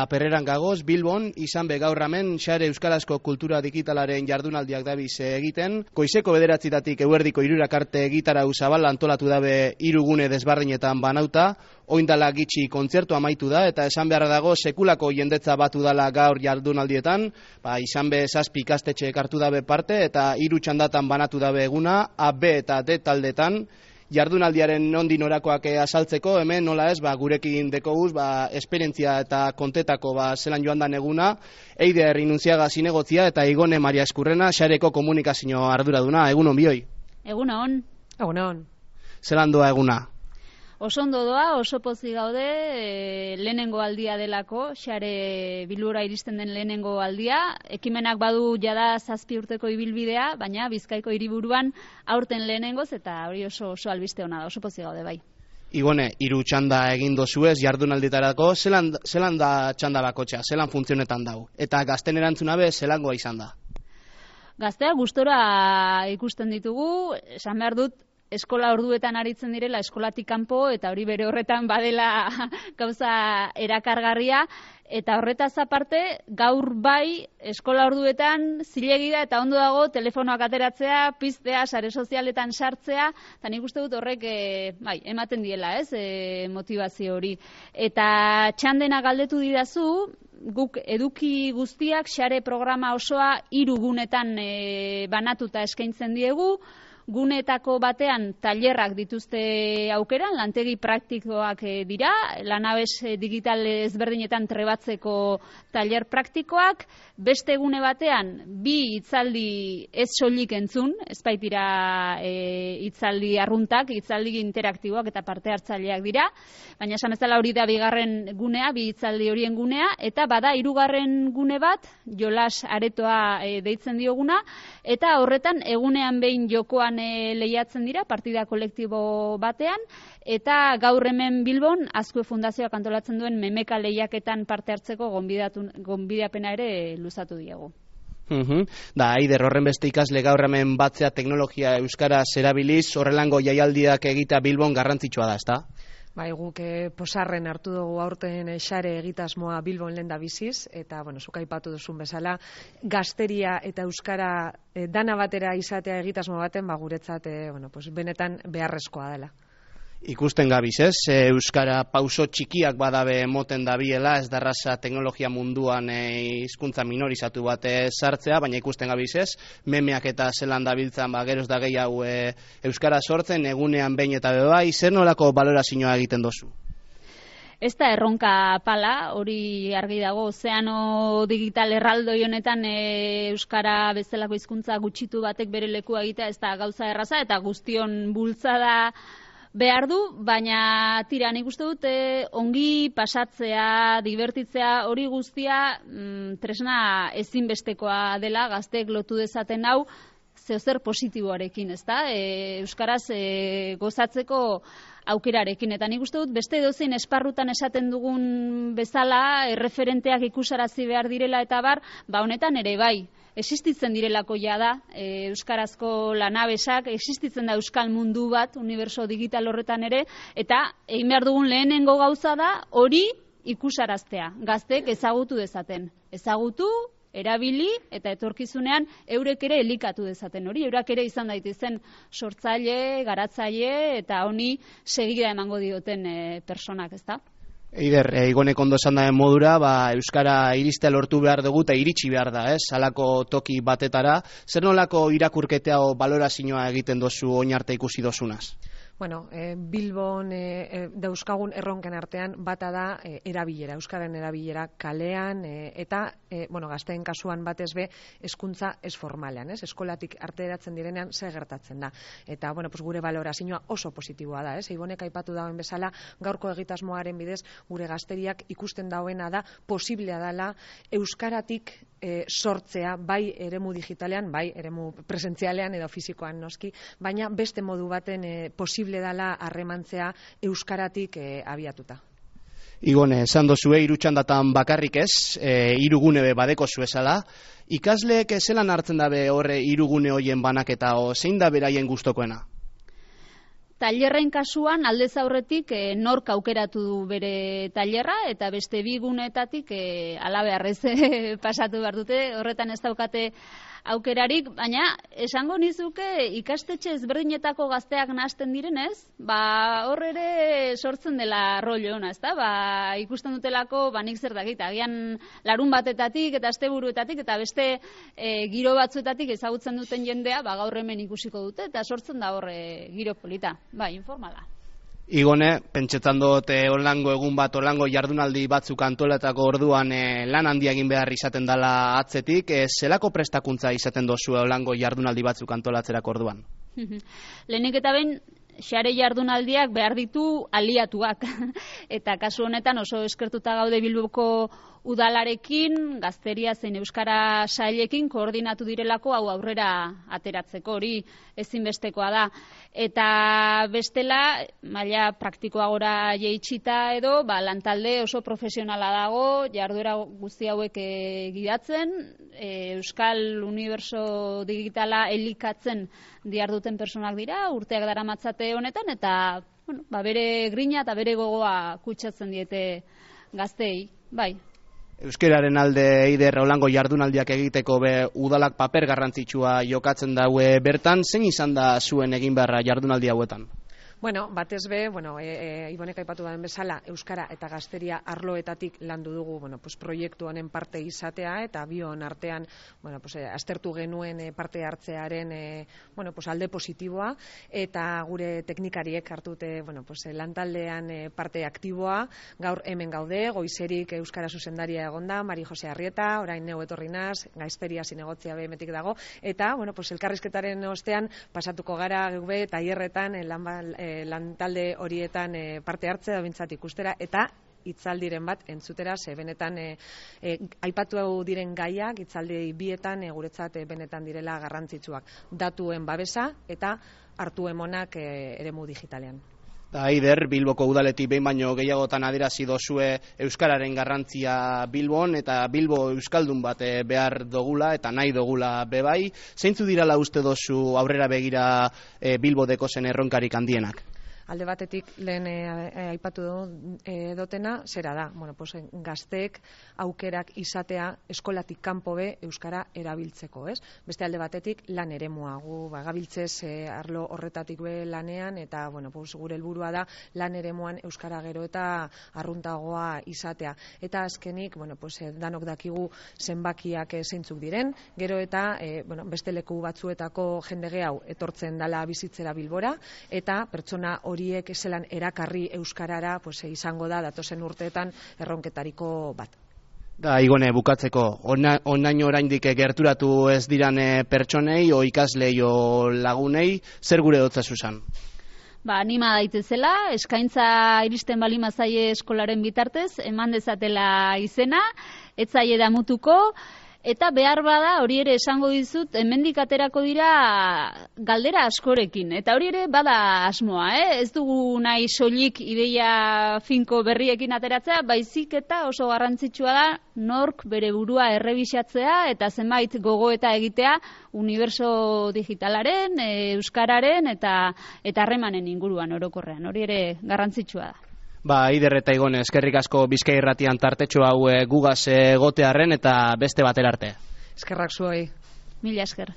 La Perreran gagoz, Bilbon, izan be gaur hemen Xare Euskarazko Kultura Digitalaren jardunaldiak dabiz egiten. Goizeko 9:00 eguerdiko 3 arte egitarau zabal antolatu dabe 3 gune desberdinetan banauta. Oindala gitxi kontzertu amaitu da, eta esan beharra dago sekulako jendetza batu dala gaur jardunaldietan, izan be 7 ikastetxe hartu dabe parte, eta 3 txandatan banatu dabe eguna, A, B eta D taldetan. Jardunaldiaren nondi norakoak azaltzeko, hemen nola ez, gurekin dekoguz, esperientzia eta kontetako zelan joan dan eguna, Eider Inunziaga zinegotzia eta Igone Maria Eskurrena, Xareko komunikazio arduraduna. Egunon bioi? Egunon. Egunon. Zelan doa eguna? Oso ondo doa, oso pozik gaude, lehenengo aldia delako, Xare Bilbora iristen den lehenengo aldia. Ekimenak badu jada 7 urteko ibilbidea, baina Bizkaiko hiriburuan aurten lehenengoz, eta hori oso albiste ona da, oso pozik gaude bai. Igone, 3 txanda egin dozuez jardunaldietarako, zelan da txanda bakotxa, zelan funtzionetan dau? Eta gazten erantzuna be, zelangoa izan da? Gaztea gustora ikusten ditugu, esan behar dut, eskola orduetan aritzen direla, eskolatik kanpo, eta hori bere horretan badela gauza erakargarria, eta horretaz aparte, gaur bai, eskola orduetan zilegi da, eta ondo dago, telefonoak ateratzea, piztea, sare sozialetan sartzea, eta nik uste dut horrek ematen diela, motivazio hori. Eta txandena galdetu didazu, guk eduki guztiak, Xare programa osoa 3 gunetan banatuta eskaintzen diegu, guneetako batean tailerrak dituzte aukeran, lantegi praktikoak dira, lanabes digital ezberdinetan trebatzeko tailer praktikoak, beste gune batean 2 hitzaldi ez soilik entzun, ez baitira hitzaldi arruntak, hitzaldi interaktiboak eta parte hartzaileak dira, baina esan bezala hori da 2. gunea, 2 hitzaldi horien gunea, eta bada 3. gune bat, jolas aretoa deitzen dioguna, eta horretan egunean behin jokoan lehiatzen dira, partida kolektibo batean, eta gaur hemen Bilbon, Azkue Fundazioak antolatzen duen memeka lehiaketan parte hartzeko gonbidapena ere luzatu diegu. Da, Aider, horren beste ikasle gaur hemen batzea teknologia euskaraz erabiliz, horrelango jaialdiak egita Bilbon garrantzitsua da, ezta? Bai, guk posarren hartu dugu aurten Xare egitasmoa Bilbon lehen da biziz, eta, zuk aipatu duzun bezala, gazteria eta euskara dana batera izatea egitasmo baten, guretzat, benetan beharrezkoa dela. Ikusten gabiz, ez? Euskara pauso txikiak badabe moten dabiela, ez darraza teknologia munduan hizkuntza minorizatu bat sartzea, baina ikusten gabiz, ez? Memeak eta zelan dabiltzan, geroz da gehiago euskara sortzen, egunean behin eta bebai, zer nolako balorazioa egiten dozu? Ez da erronka pala, hori argi dago, ozeano digital erraldoi honetan euskara bezalako hizkuntza gutxitu batek bere lekua egitea, ez da gauza erraza, eta guztion bultzada behar du, baina tira, nik uste dut ongi pasatzea, divertitzea, hori guztia tresna ezinbestekoa dela, gazteek lotu dezaten hau, zeozer positiboarekin, ezta? Euskaraz gozatzeko aukerarekin, eta nik uste dut beste edozein esparrutan esaten dugun bezala, erreferenteak ikusarazi behar direla eta bar, honetan ere bai. Existitzen direlako jada, euskarazko lanabesak, existitzen da euskal mundu bat, uniberso digital horretan ere, eta egin behar dugun lehenengo gauza da, hori ikusaraztea, gazteek ezagutu dezaten. Ezagutu, erabili, eta etorkizunean eurek ere elikatu dezaten hori, eurak ere izan daitezen sortzaile, garatzaile, eta honi segida emango dioten personak, ezta? Eider, Igonek ondo esan daren modura, euskara iristea lortu behar dugu eta iritsi behar da, ez? Halako toki batetara. Zer nolako irakurketea o balorazioa egiten dozu oin arte ikusi dozunaz? Bilbon dauzkagun erronken artean bata da erabilera, euskaren erabilera kalean, eta gazteen kasuan batez be hezkuntza ez formalean, ez? Eskolatik arteratzen direnean zer gertatzen da. Eta gure balorazioa oso positiboa da, ez? Ibonek aipatu dauen bezala, gaurko egitasmoaren bidez gure gazteriak ikusten dauena da posiblea dela euskaratik sortzea, bai eremu digitalean, bai eremu presentzialean edo fisikoan noski, baina beste modu baten posible dela harremantzea euskaratik abiatuta. Igone, esan dozue, 3 txandatan bakarrik ez, 3 gune badeko zuezala. Ikasleek zelan hartzen dabe horre 3 gune hoien banaketa, zein da beraien gustokoena? tailerren kasuan aldez aurretik nork aukeratu du bere tailerra eta beste bi guneetatik halabeharrez pasatu behar dute, horretan ez daukate aukerarik, baina esango nizuke ikastetxe ezberdinetako gazteak nahasten direnez, hor ere sortzen dela rollo ona, ezta? Ikusten dutelako nik zer dakit, agian larun batetatik eta asteburuetatik eta beste giro batzuetatik ezagutzen duten jendea, gaur hemen ikusiko dute eta sortzen da hor giro polita, informala. Igone, pentsetan dut onlango egun bat, onlango jardunaldi batzuk antolatako orduan lan handia egin behar izaten dela atzetik, zelako prestakuntza izaten dozu onlango jardunaldi batzuk antolatzerako orduan? Lehenik eta behin, xare jardunaldiak behar ditu aliatuak, eta kasu honetan oso eskertuta gaude Bilboko udalarekin, gazteria zein euskara sailekin koordinatu direlako hau aurrera ateratzeko, hori ezinbestekoa da. Eta bestela, maila praktikoagora jeitsita edo, lantalde oso profesionala dago, jarduera guzti hauek gidatzen, Euskal Uniberso Digitala elikatzen diharduten personak dira, urteak daramatzate honetan, eta bere grina eta bere gogoa kutsatzen diete gazteei, bai. Euskararen alde eider holango jardunaldiak egiteko udalak paper garrantzitsua jokatzen daue bertan, zein izan da zuen egin beharra jardunaldi hauetan? Batez be, Ibonek aipatu den bezala, euskara eta gazteria arloetatik landu dugu, proiektu honen parte izatea eta bion artean, aztertu genuen parte hartzearen, alde positiboa eta gure teknikariek hartute, lantaldean parte aktiboa, gaur hemen gaude, goizerik euskara zuzendaria egonda, Mari Jose Arrieta, orain neu etorri naz, gazteria zinegotzia behemetik dago, eta, elkarrizketaren ostean pasatuko gara gube tailerretan lantalde horietan parte hartzea da bintzat ikustera eta hitzaldiren bat entzutera, ze benetan aipatu diren gaiak hitzaldi bietan guretzat benetan direla garrantzitsuak. Datuen babesa eta hartu emonak eremu digitalean. Aider, Bilboko udaletik behin baino gehiagotan adierazi dozue euskararen garrantzia Bilbon eta Bilbo euskaldun bat behar dogula eta nahi dogula bebai. Zeintzu dirala uste dozu aurrera begira Bilbo dekozen erronkarik handienak? Alde batetik lehen aipatu dotena, zera da, gazteek aukerak izatea eskolatik kanpo be euskara erabiltzeko, ez? Beste alde batetik lan eremua, gu gabiltzez arlo horretatik be lanean eta gure helburua da lan eremuan euskara gero eta arruntagoa izatea. Eta azkenik, danok dakigu zenbakiak zeintzuk diren, gero eta beste leku batzuetako jende gehiago etortzen dala bizitzera Bilbora eta pertsona horiek zelan erakarri euskarara izango da datozen urteetan erronketariko bat. Igone, bukatzeko, onaino oraindik gerturatu ez diran pertsonei, o ikaslei, o lagunei, zer gure dotza zuzan? Anima daitezela, eskaintza iristen balima zaie eskolaren bitartez, eman dezatela izena, ez zaie damutuko, eta behar bada, hori ere esango dizut, hemendik aterako dira galdera askorekin. Eta hori ere bada asmoa, ez dugu nahi soilik ideia finko berriekin ateratzea, baizik eta oso garrantzitsua da nork bere burua errebisatzea eta zenbait gogoeta egitea uniberso digitalaren, euskararen eta harremanen inguruan orokorrean. Hori ere garrantzitsua da. Aider eta Igone, eskerrik asko Bizkai Irratian tartetxo hau gugaz gotearren eta beste batera arte. Eskerrak zuei. Mila esker.